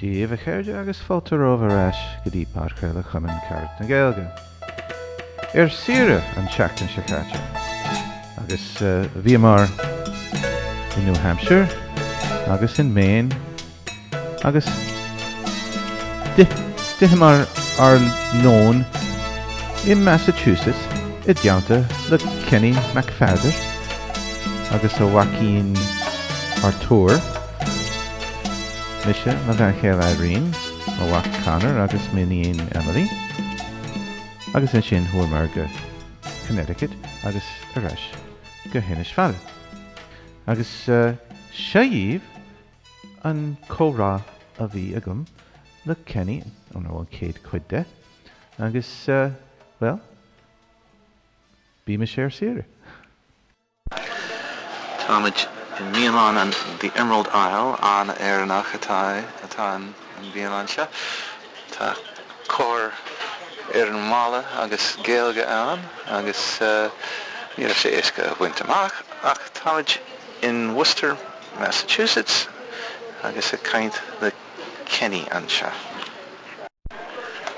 Dia daoibh a chairde agus fáilte romhaibh ar ais go dtí podchraoladh Chumann Carad na Gaeilge. Ar saoire an tseachtain seo caite agus bhíomar i New Hampshire agus in Maine agus d'itheamar ár lón i Massachusetts i dteannta le Kenny Mac Pheadair agus a mhaicín Artúr, mise, mo bhean chéile Irene, mo mhac Conor agus m'iníon Emily, agus ansin chuamar go Connecticut agus ar ais go hInis Fada. Agus seo dhaoibh an comhrá a bhí agam le Kenny, nó an chéad chuid de, agus, bhuel, bímis ar saoire! Táimid i mbialann an The Emerald Isle, an-Éireannach atá atá an bhialann seo. Tá cóir ar an mballa agus Gaeilge ann agus ní raibh sé éasca a bhaint amach ach táimid in Worcester, Massachusetts agus ag caint le Kenny anseo.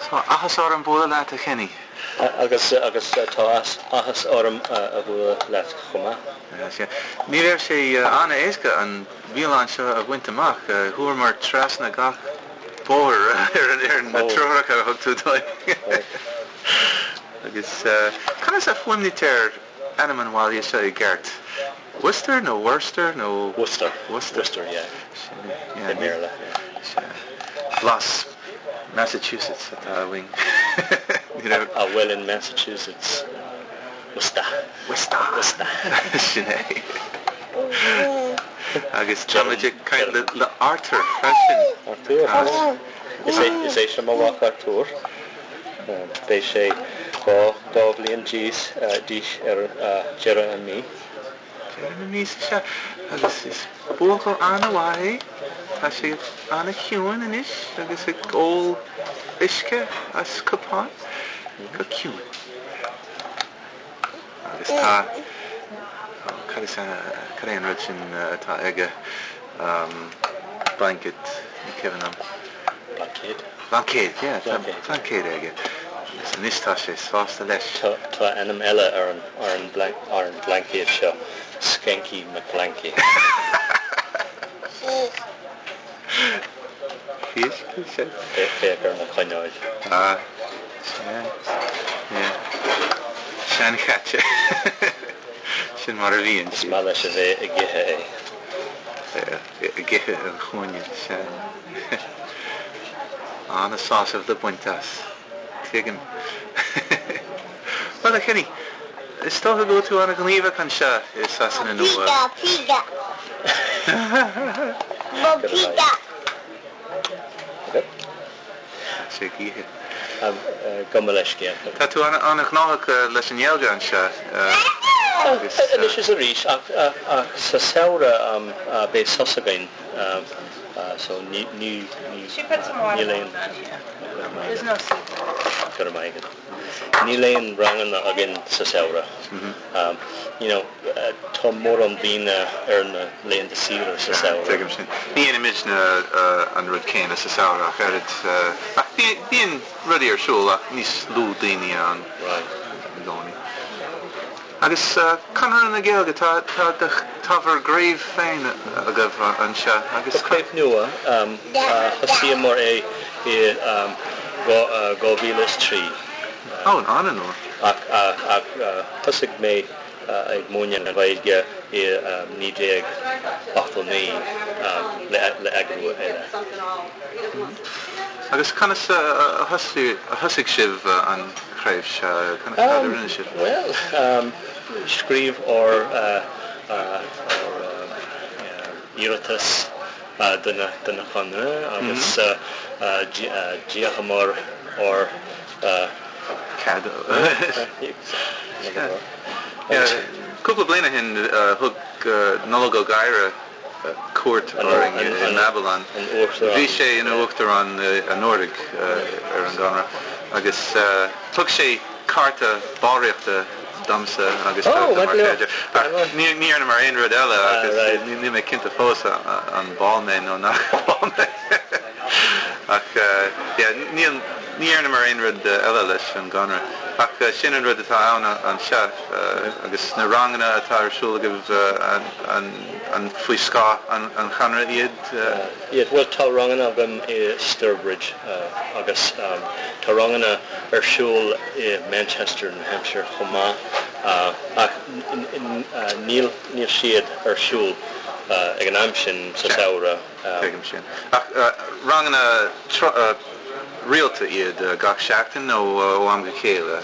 Tá áthas orm bualadh leat, a Kenny. Agus agus tá áthas orm a bhualadh leat chomh maith. Ní raibh sé an-éasca an bhialann seo a bhaint amach. Chuamar trasna gach bóthar ar na treoracha a thug tú dúinn. Agus conas a fuaimnítear ainm an bhaile seo i gceart? Worcester nó Worcester nó? Worcester. Worcester. Worcester, yeah. Sin é, yeah. I mBéarla, yeah. Sea. Blas Massachusetts atá uainn. Ní raibh. Ah, well in Massachusetts, Worcester. Worcester. Worcester. Sin é. Agus táimid ag caint le le Arthur freisin. Arthur. Is é is é seo mo mhac Arthur. Beidh sé 2 bhliain d'aois ar deireadh an mí. Deireadh na míosa seo agus is buachaill an-mhaith é. Tá sé an-chiúin anois agus ag ól uisce as cupán go ciúin. Agus tá, cad is ea, cad é an rud sin atá aige, blanket, ní cuimhin liom. Blaincéad. Blaincéad, yeah, tá blaincéad aige. Agus anois tá sé sásta leis. Tá ainm eile ar an ar an bhlaincéad seo, Skanky McBlanky. Féach ar na coinneáil. Ah, sea, yeah. Seanchaite. Sin mar a bhíonn siad. Is maith leis a bheith ag ithe é. Ag ithe an chúinne, sea. An-sásamh le baint as. Tuigim. Bhuel, a Kenny, is dócha go bhfuil tú an-ghníomhach anseo i Sasana Nua. Píga, píga. Mo píga. Tá sé ag ithe. Gabh mo leithscéal. Tá tú an-ghnóthach leis an nGaeilge anseo agus. Anois is arís, ach sa samhradh beidh sos againn so ní níl aon Go raibh maith agat. Níl aon ranganna againn sa samhradh. You know, tá mórán daoine ar na laethanta saoire sa samhradh. Tuigim sin. Ní dhéanaimidne an rud céanna sa samhradh ach oiread. Ach bíonn rudaí ar siúl ach níos lú daoine ann i gcónaí. Agus Conradh na Gaeilge, tá tá bhur gcraobh féin agaibh anseo agus. Tá craobh nua, thosaíomar é i 2003. Ó, an-nua. Ach thosaigh mé ag múineadh na Gaeilge i 1989 le eagrú eile. Agus conas a thosaigh sibh an chraobh seo? Cad a rinne sibh? Bhuel, scríobh ár iarratas don Chonradh agus d'íocamar ár. Cead. Cúpla bliain ó shin thug Nollaig Ó Gadhra cuairt orainn i mBabylon. Bhí sé ina uachtarán anuraidh ar an gConradh agus thug sé cárta ballraíochta domsa agus do mo chairde. Ach ní dhearnamar aon rud eile agus níl mé cinnte fós an ball mé nó nach ball mé. Ach yeah, níl, ní dhearnamar aon rud eile leis an gConradh. Ach sin an rud atá ann anseo agus na ranganna atá ar siúl agaibh, an faoi scáth an Chonradh iad? Yeah, bhuel tá ranganna agam i Sturbridge agus tá ranganna ar siúl i Manchester, New Hampshire chomh maith ach níl siad ar siúl ag an am sin sa samhradh. Tuigim sin. Ach ranganna rialta iad gach seachtain nó ó am go chéile?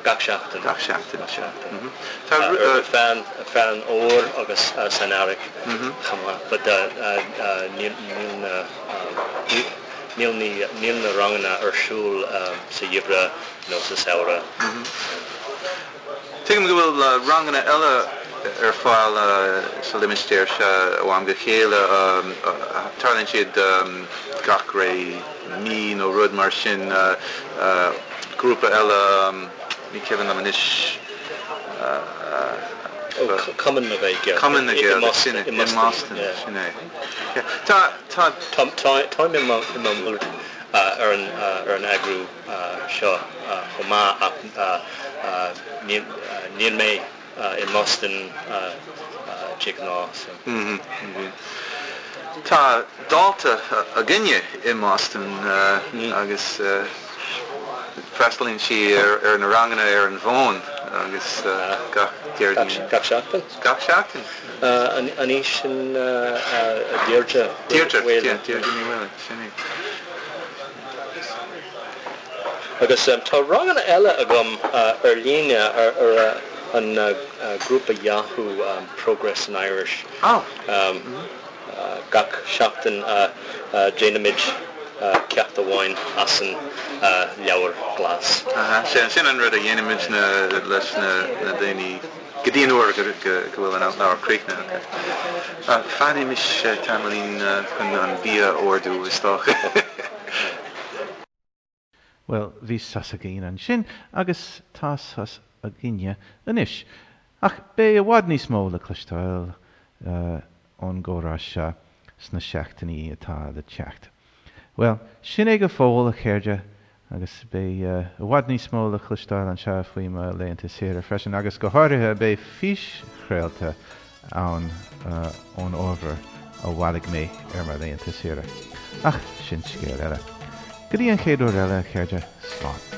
Gach seachtain. Gach seachtain. Gach seachtain. Tá. Ar feadh an fhómhair agus san earrach chomh maith. But níl na níl níl na ranganna ar siúl sa gheimhreadh nó sa samhradh. Tuigim go bhfuil ranganna eile ar fáil sa limistéar seo ó am go chéile. Tarlaíonn siad gach ré mí nó rud mar sin. Grúpa eile, ní cuimhin liom anois. Cumann na Gaeilge. Cumann na Gaeilge, sin é. I mBoston, sin é. Tá, tá. Táim i mo ar an eagrú seo chomh maith ach níl mé i mBoston de ghnáth. Tá dalta againne i mBoston agus freastalaíonn sí ar na ranganna ar an bhfón agus gach Déardaoin. Gach seachtain? Gach seachtain. An í sin Deirdre? Deirdre, yeah, Deirdre Ní Mhaolain, sin í. Agus tá ranganna eile agam ar líne ar an grúpa Yahoo Progress in Irish. Gach seachtain déanaimid ceacht amháin as an Leabhar Glas. Sin an rud a dhéanaimid leis na daoine go dtí an uair go bhfuil an leabhar críochnaithe acu. Fanaimis tamaillín chun an bia a ordú, is dócha. Bhuel, bhí sos againn ansin agus tá sos againne anois. Ach beidh i bhfad níos mó le cloisteáil ón gcomhrá seo sna seachtainí atá le teacht. Bhuel, sin é go fóill, a chairde, agus beidh i bhfad níos mó le cloisteáil anseo faoi mo laethanta saoire freisin, agus go háirithe beidh físchraolta ann ón ábhar a bhailigh mé ar mo laethanta saoire. Ach sin scéal eile. Go dtí an chéad uair eile, a chairde, slán.